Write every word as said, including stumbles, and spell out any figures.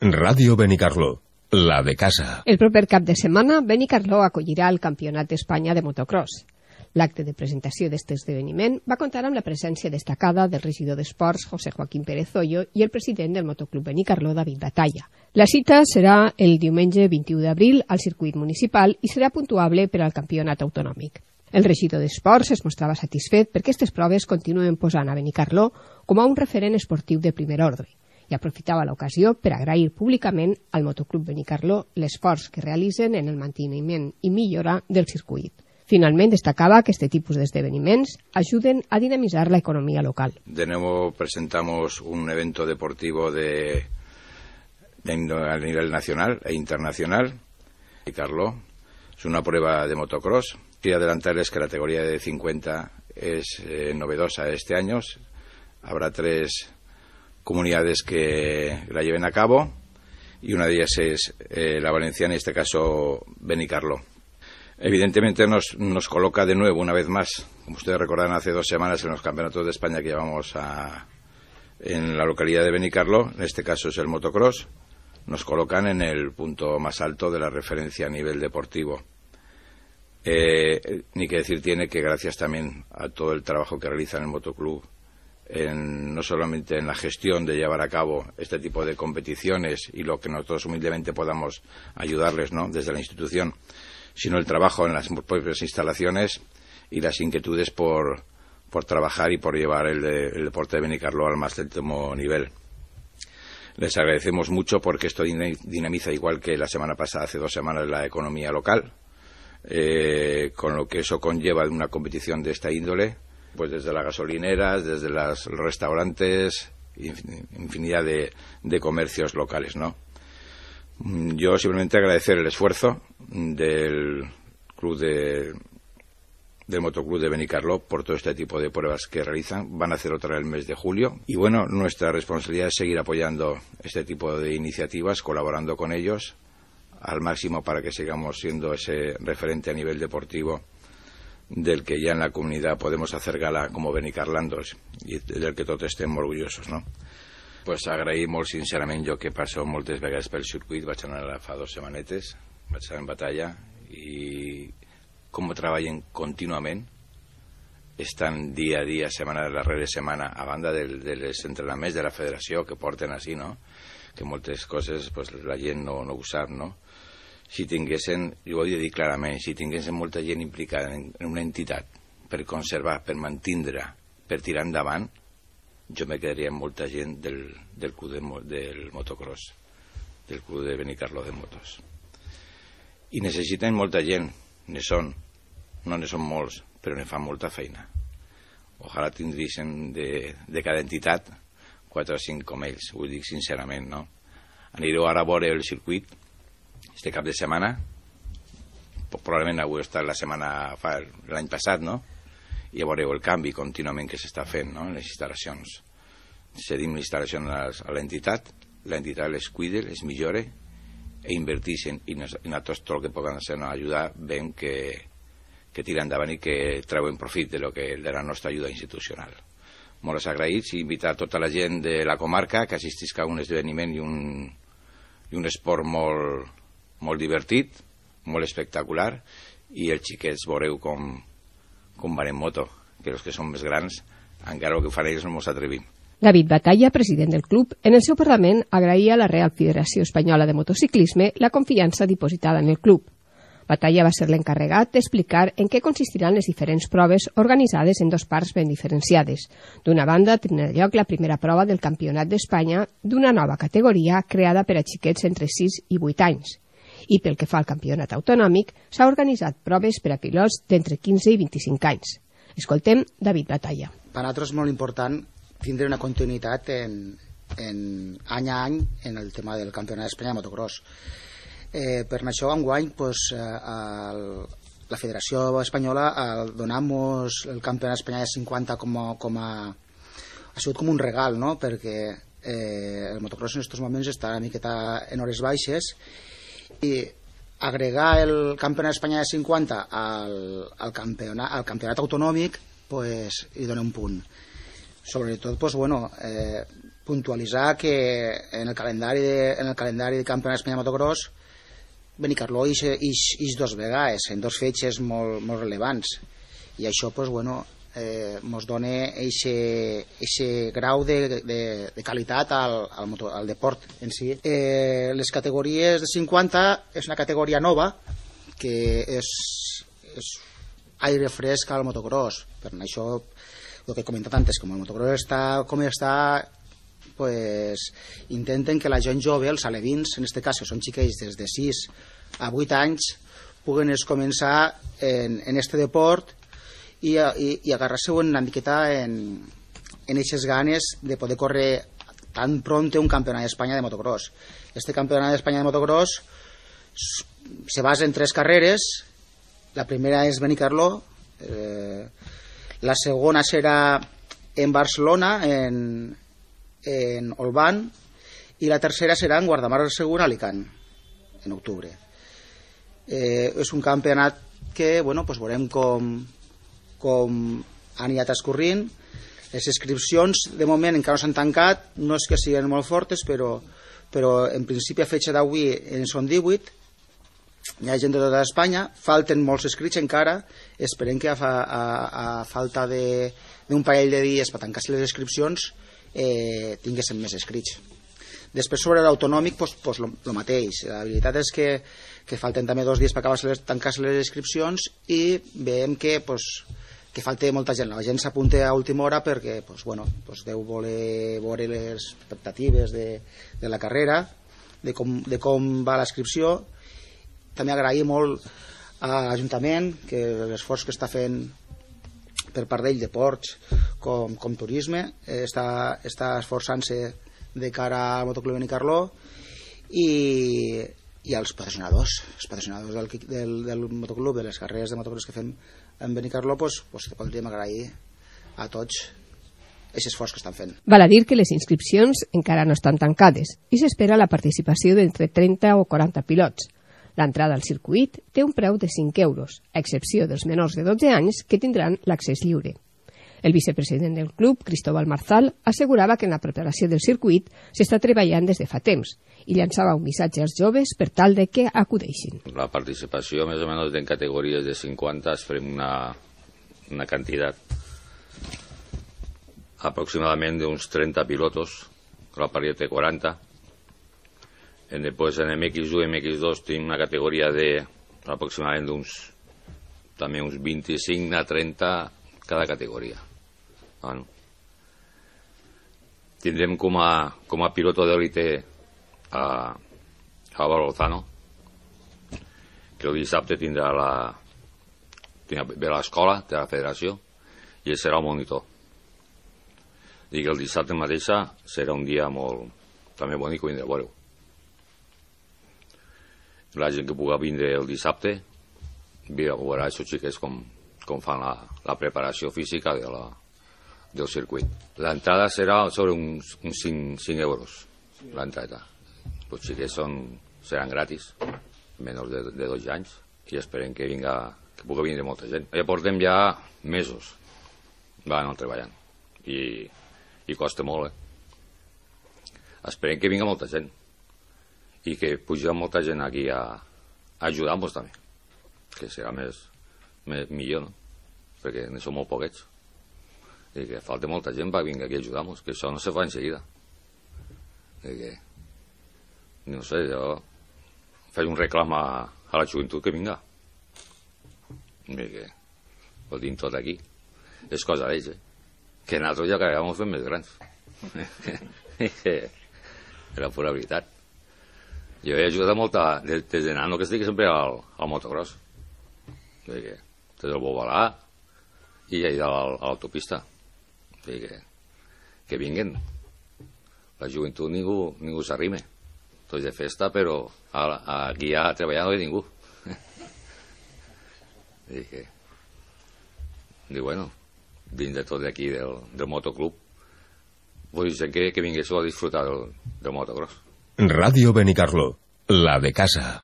Ràdio Benicarló, la de casa. El proper cap de setmana, Benicarló acollirà el Campionat d'Espanya de motocross. L'acte de presentació d'aquest esdeveniment va comptar amb la presència destacada del regidor d'Esports, José Joaquín Pérez Hoyo, i el president del Motoclub Benicarló, David Batalla. La cita serà el diumenge vint-i-u d'abril al circuit municipal i serà puntuable per al campionat autonòmic. El regidor d'Esports es mostrava satisfet perquè aquestes proves continuen posant a Benicarló com a un referent esportiu de primer ordre i aprofitava l'ocasió per agrair públicament al Motoclub Benicarló l'esforç que realitzen en el manteniment i millora del circuit. Finalment, destacaba que este tipus d'esdeveniments ayuden a dinamizar la economía local. De nuevo presentamos un evento deportivo de, de a nivel nacional e internacional. Benicarló es una prueba de motocross. Quiero adelantarles que la categoría de cincuenta es eh, novedosa este año. Habrá tres comunidades que la lleven a cabo y una de ellas es eh, la valenciana, en este caso Benicarló. Evidentemente nos, nos coloca de nuevo, una vez más, como ustedes recordarán hace dos semanas en los campeonatos de España que llevamos a, en la localidad de Benicarló, en este caso es el motocross, nos colocan en el punto más alto de la referencia a nivel deportivo. Eh, ni que decir tiene que gracias también a todo el trabajo que realiza en el motoclub, En, no solamente en la gestión de llevar a cabo este tipo de competiciones y lo que nosotros humildemente podamos ayudarles, ¿no?, desde la institución, sino el trabajo en las propias instalaciones y las inquietudes por, por trabajar y por llevar el, de, el deporte de Benicarló al más alto nivel. Les agradecemos mucho porque esto dinamiza, igual que la semana pasada, hace dos semanas, la economía local, eh, con lo que eso conlleva de una competición de esta índole, pues desde las gasolineras, desde los restaurantes, infinidad de, de comercios locales, ¿no? Yo simplemente agradecer el esfuerzo del club de, del motoclub de Benicarló por todo este tipo de pruebas que realizan. Van a hacer otra el mes de julio y bueno, nuestra responsabilidad es seguir apoyando este tipo de iniciativas, colaborando con ellos al máximo para que sigamos siendo ese referente a nivel deportivo del que ya en la comunidad podemos hacer gala como benicarlandos i del que tots estem orgullosos, no? Pues agraïm molt sincerament, jo que passo moltes vegades pel circuit, vaig anar fa dos setmanetes, vaig estar en Batalla i com treballen contínuament, estan dia a dia, setmana darrere setmana, a banda dels de entrenaments de la federació que porten així, no? Que moltes coses pues, la gent no, no ho sap, no? Si tinguessin, jo ho he de dir clarament, si tinguessin molta gent implicada en, en una entitat per conservar, per mantindre, per tirar endavant, jo me quedaria amb molta gent del, del club de, del motocross, del club de Benicarló de motos. I necessiten molta gent, ne són, no ne són molts, però ne fan molta feina. Ojalà tindríssim de, de cada entitat quatre o cinc com ells, ho dic sincerament, no? Anireu ara a veure el circuit este cap de setmana, probablement avui està la setmana l'any passat, no? I ja veureu el canvi contínuament que s'està fent, no?, en les instal·lacions. Cedim l'instal·lació a l'entitat, l'entitat les cuida, les millora i inverteixen i nosaltres tot el que poden fer ajudar veiem que, que tira endavant i que treuen profit de, lo que, de la nostra ajuda institucional. Molt agraïts i invitar tota la gent de la comarca que assistisca a un esdeveniment i un, i un esport molt molt divertit, molt espectacular, i els xiquets veureu com, com van en moto, que els que són més grans, encara el que fan ells no ens atrevim. David Batalla, president del club, en el seu Parlament agraïa a la Real Federació Espanyola de Motociclisme la confiança dipositada en el club. Batalla va ser l'encarregat d'explicar en què consistiran les diferents proves organitzades en dos parts ben diferenciades. D'una banda, tindrà lloc la primera prova del Campionat d'Espanya d'una nova categoria creada per a xiquets entre sis i vuit anys. I pel que fa al campionat autonòmic, s'ha organitzat proves per a pilots d'entre quinze i vint-i-cinc anys. Escoltem David Batalla. Per a nosaltres és molt important tindre una continuïtat en, en any a any en el tema del campionat d'Espanya de motocross. Eh, per això, enguany, pues, eh, el, la Federació Espanyola al donar-nos el campionat d'Espanya de cinquanta com a, com a, ha sigut com un regal, no?, perquè eh, el motocross en aquests moments està una miqueta en hores baixes i agregar el campionat d'Espanya de cinquanta al, al, campionat, al campionat autonòmic pues, hi dona un punt. Sobretot pues, bueno, eh, puntualitzar que en el calendari de, en el calendari de Campionat d'Espanya de motocross Benicarló ix, ix, ix dos vegades en dos fetges molt, molt relevants, i això pues, bueno, eh, mos dona aquest grau de, de, de qualitat al, al, motor, al deport en si. Eh, les categories de cinquanta és una categoria nova que és, és aire fresc al motocross. Per això el que he comentat antes, com el motocross està com està, pues, intenten que la gent jove, els alevins, en aquest cas, que són xiquets des de sis a vuit anys, puguen començar en, en este deport i, i, i agarrar-se una miqueta en, en aquestes ganes de poder córrer tan pronto un campionat d'Espanya de motocross. Este campionat d'Espanya de motocross se basa en tres carreres. La primera és Benicarló, eh, la segona serà en Barcelona, en, en Olvan, i la tercera serà en Guardamar del Segura, Alicant, en octubre. Eh, és un campionat que, bueno, pues veurem com, com ha anat escorrint. Les inscripcions, de moment, encara no s'han tancat, no és que siguin molt fortes, però, però en principi a fetge d'avui en són divuit. Hi ha gent de tota Espanya, falten molts escrits encara, esperem que a, a, a falta d'un parell de dies per tancar-se les inscripcions eh, tinguéssim més escrits. Després sobre l'autonòmic, pues, pues lo, lo mateix. La veritat és que, que falten també dos dies per tancar-se les inscripcions i veiem que, pues, que falta molta gent. La gent s'apunta a última hora perquè pues, bueno, pues deu voler veure les expectatives de, de la carrera, de com, de com va la inscripció. També agrair molt a l'Ajuntament que l'esforç que està fent per part d'ell de ports com, com turisme, eh, està, està esforçant-se de cara al Motoclub Benicarló i, i als patrocinadors, els patrocinadors del, del, del motoclub, de les carreres de motocross que fem en Benicarló, pues, pues podríem agrair a tots aquest esforç que estan fent. Val a dir que les inscripcions encara no estan tancades i s'espera la participació d'entre trenta o quaranta pilots. L'entrada al circuit té un preu de cinc euros, a excepció dels menors de dotze anys que tindran l'accés lliure. El vicepresident del club, Cristóbal Marzal, assegurava que en la preparació del circuit s'està treballant des de fa temps i llançava un missatge als joves per tal de que acudeixin. La participació, més o menys, en categories de cinquanta es farem una, una quantitat aproximadament d'uns trenta pilotos, la paria té quaranta. Després en M X u i M X dos tenim una categoria de aproximadament d'uns també uns vint-i-cinc a trenta cada categoria. Bueno. Tindrem com a, com a piloto d'élite a, a Lozano, que el dissabte tindrà la tindrà ve a l'escola de la federació i ell serà el monitor. I que el dissabte mateixa serà un dia molt també bonic que vindrà a veure. La gent que pugui vindre el dissabte veurà aquests xiquets com, com fan la, la preparació física de la, del circuit. L'entrada serà sobre uns, uns cinc euros, l'entrada. Els xiquets són, seran gratis, menys de, de dos anys, i esperem que, vinga, que pugui vindre molta gent. Ja portem ja mesos van treballant, i, i costa molt, eh? Esperem que vinga molta gent i que puja molta gent aquí a, a ajudar-nos també, que serà més, més millor, no? Perquè ne som molt poquets i que falta molta gent per vinga aquí a ajudar-nos, que això no se fa en seguida. I que no sé, jo faig un reclam a, a la joventut que vinga, i que ho tinc tot aquí, és cosa d'ells, eh? Que nosaltres ja acabem fent més grans. Era pura veritat. Jo he ajudat molta, des, des de nano que estic sempre al, al motocross. Que, des del Bobalà i allà a l'autopista. Que, que vinguen. La joventut ningú, ningú s'arrime. Tots de festa, però a, a, aquí a treballar no hi ha ningú. I que, i bueno, dins de tot d'aquí del, del motoclub, vull dir que, que vinguéssiu a disfrutar del, del motocross. Radio Benicarló, la de casa.